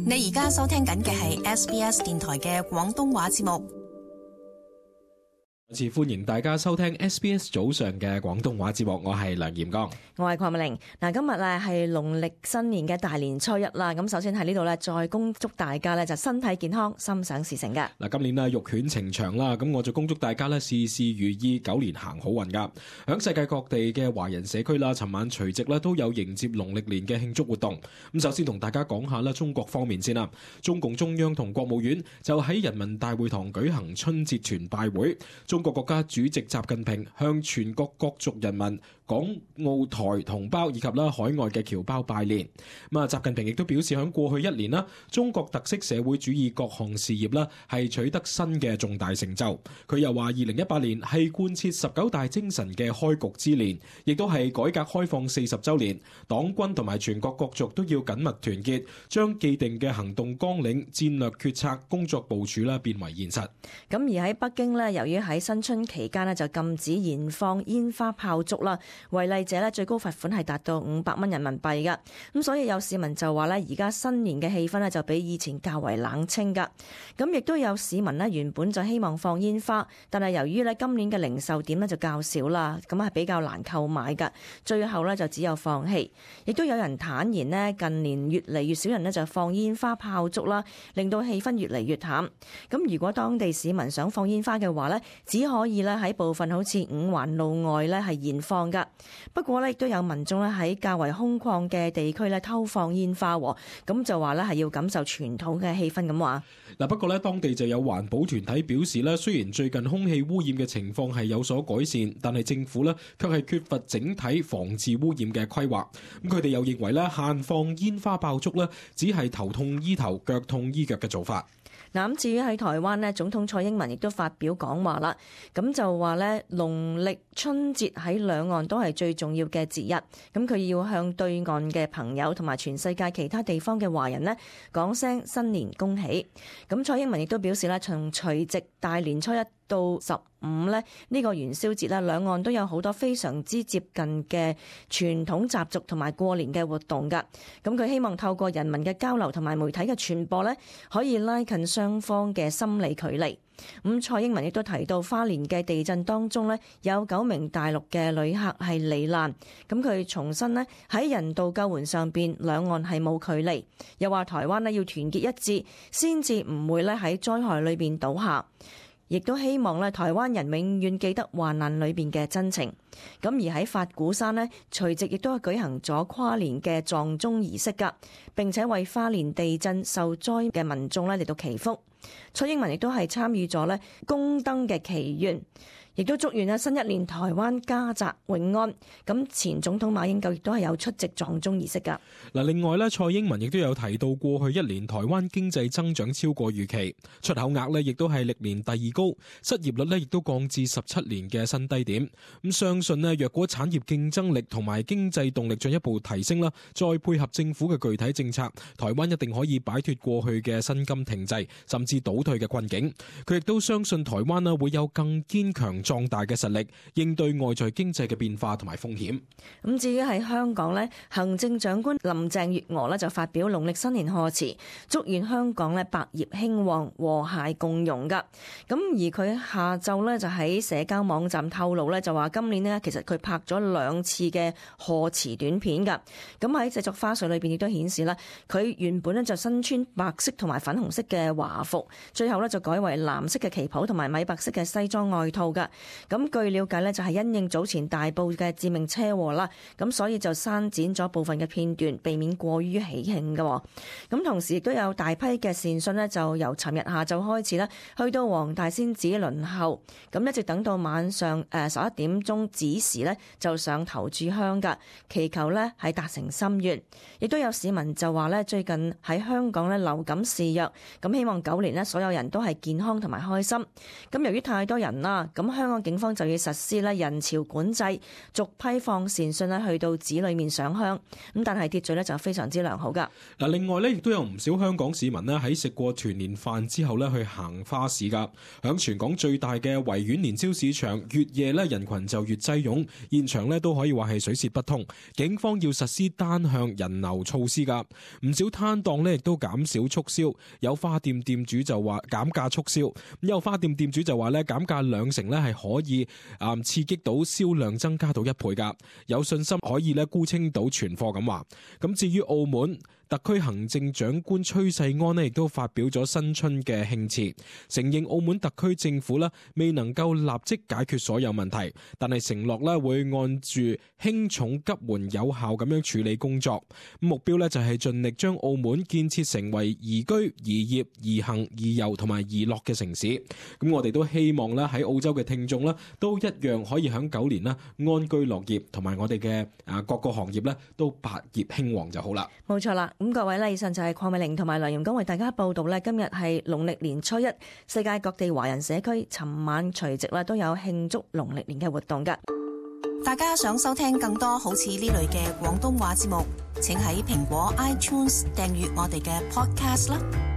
你而家收聽緊嘅係 SBS 電台嘅廣東話節目。歡迎大家收聽 SBS 早上嘅廣東話節目，我係梁炎剛，我係鄺美玲。今日係農曆新年嘅大年初一啦。咁首先喺呢度咧，再恭祝大家咧就身體健康、心想事成嘅。今年咧玉犬呈祥啦，咁我就恭祝大家咧事事如意，狗年行好運噶。響世界各地嘅華人社區啦，尋晚除夕咧都有迎接農曆年嘅慶祝活動。咁首先同大家講下啦，中國方面先啦。中共中央同國務院就喺人民大會堂舉行春節團拜會。中國國家主席習近平向全國各族人民、港澳台同胞以及海外嘅僑胞拜年。習近平亦都表示，喺過去一年啦，中國特色社會主義各項事業啦係取得新嘅重大成就。佢又話，2018年係貫徹19大精神嘅開局之年，亦都係改革開放40週年。黨軍同埋全國各族都要緊密團結，將既定嘅行動綱領、戰略決策、工作部署啦變為現實。咁而喺北京呢，由於喺新春期間呢就禁止燃放煙花炮竹啦，違例者呢最高罰款係達到500蚊人民幣噶。咁所以有市民就話呢，而家新年嘅氣氛呢就比以前較為冷清噶。咁亦都有市民呢原本就希望放煙花，但係由於呢今年嘅零售點呢就較少啦，咁係比較難購買噶，最後呢就只有放棄。亦都有人坦言呢，近年越嚟越少人呢就放煙花炮竹啦，令到氣氛越嚟越淡。咁如果當地市民想放煙花嘅話呢，只可以咧喺部分好似五環路外咧係燃放噶。不過咧亦都有民眾咧喺較為空曠嘅地區咧偷放煙花，咁就話咧係要感受傳統嘅氣氛咁話。不過咧當地就有環保團體表示咧，雖然最近空氣污染嘅情況係有所改善，但係政府咧卻係缺乏整體防治污染嘅規劃。咁佢哋又認為咧限放煙花爆竹咧只係頭痛醫頭、腳痛醫腳嘅做法。咁至於喺台灣呢，總統蔡英文亦都發表講話啦，咁就話呢，農曆春節喺兩岸都係最重要嘅節日，咁佢要向對岸嘅朋友同埋全世界其他地方嘅華人呢講聲新年恭喜。咁蔡英文亦都表示啦，從除夕大年初一到15呢個元宵節啦，兩岸都有好多非常之接近嘅傳統習俗同埋過年嘅活動噶。咁佢希望透過人民嘅交流同埋媒體嘅傳播呢，可以拉近雙方嘅心理距離。咁蔡英文亦都提到花蓮嘅地震當中呢，有9名大陸嘅旅客係罹難。咁佢重申呢，喺人道救援上邊，兩岸係冇距離。又話台灣呢要團結一致，先至唔會咧喺災害裏邊倒下。亦都希望咧，台灣人永遠記得患難裏邊嘅真情。咁而喺法鼓山呢，除夕亦都舉行咗跨年嘅撞鐘儀式噶，並且為花蓮地震受災嘅民眾咧嚟到祈福。蔡英文亦都係參與咗咧宮燈嘅祈願，亦都祝願新一年台灣家宅永安。咁前總統馬英九亦都係有出席撞鐘儀式噶。另外咧，蔡英文亦都有提到過去一年台灣經濟增長超過預期，出口額咧亦都係歷年第2高，失業率咧亦都降至17年嘅新低點。咁相信咧，若果產業競爭力同埋經濟動力進一步提升啦，再配合政府嘅具體政策，台灣一定可以擺脫過去嘅薪金停滯甚至倒退嘅困境。佢亦都相信台灣啦會有更堅強壯大嘅實力，應對外在經濟嘅變化同埋風險。咁至於喺香港呢，行政長官林鄭月娥呢就發表農曆新年賀詞，祝願香港呢百業興旺、和諧共融噶。咁而佢下晝呢就喺社交網站透露呢，就話今年呢其實佢拍咗2次嘅賀詞短片噶。咁喺製作花絮裏邊亦都顯示啦，佢原本呢就身穿白色同埋粉紅色嘅華服，最後呢就改為藍色嘅旗袍同埋米白色嘅西裝外套噶。咁據了解呢，就係因應早前大埔嘅致命車禍啦，咁所以就刪剪咗部分嘅片段，避免過於喜慶嘅。咁同時亦都有大批嘅善信呢，就由尋日下晝開始啦，去到黃大仙寺輪候，咁一直等到晚上11點鐘子時呢，就上頭炷香噶，祈求呢係達成心願。亦都有市民就話呢，最近喺香港呢流感肆虐，咁希望狗年呢所有人都係健康同埋開心。咁由於太多人啦，咁香港警方就要實施咧人潮管制，逐批放善信咧去到寺裏面上香。咁但係秩序咧就非常之良好噶。嗱，另外咧亦都有唔少香港市民咧喺食過團年飯之後咧去行花市噶。響全港最大嘅維園年宵市場，越夜咧人群就越擠擁，現場咧都可以話係水泄不通。警方要實施單向人流措施噶，唔少攤檔咧亦都減少促銷，有花店店主就話減價促銷，有花店店主就話咧減價2成咧係可以刺激到銷量增加到1倍噶，有信心可以咧沽清到存貨咁話。咁至於澳門，特區行政長官崔世安咧亦都發表咗新春嘅慶詞，承認澳門特區政府咧未能夠立即解決所有問題，但係承諾咧會按住輕重急緩有效咁樣處理工作，目標咧就係盡力將澳門建設成為宜居、宜業、宜行、宜遊同埋宜樂嘅城市。咁我哋都希望咧喺澳洲嘅聽眾咧都一樣可以喺狗年啦安居樂業，同埋我哋嘅各個行業咧都百業興旺就好啦。冇錯啦。咁各位咧，以上就係鄺美玲同埋梁容剛為大家報道咧。今日係農曆年初一，世界各地華人社區尋晚除夕啦都有慶祝農曆年嘅活動㗎。大家想收聽更多好似呢類嘅廣東話節目，請喺蘋果 iTunes 訂閱我哋嘅 Podcast 啦。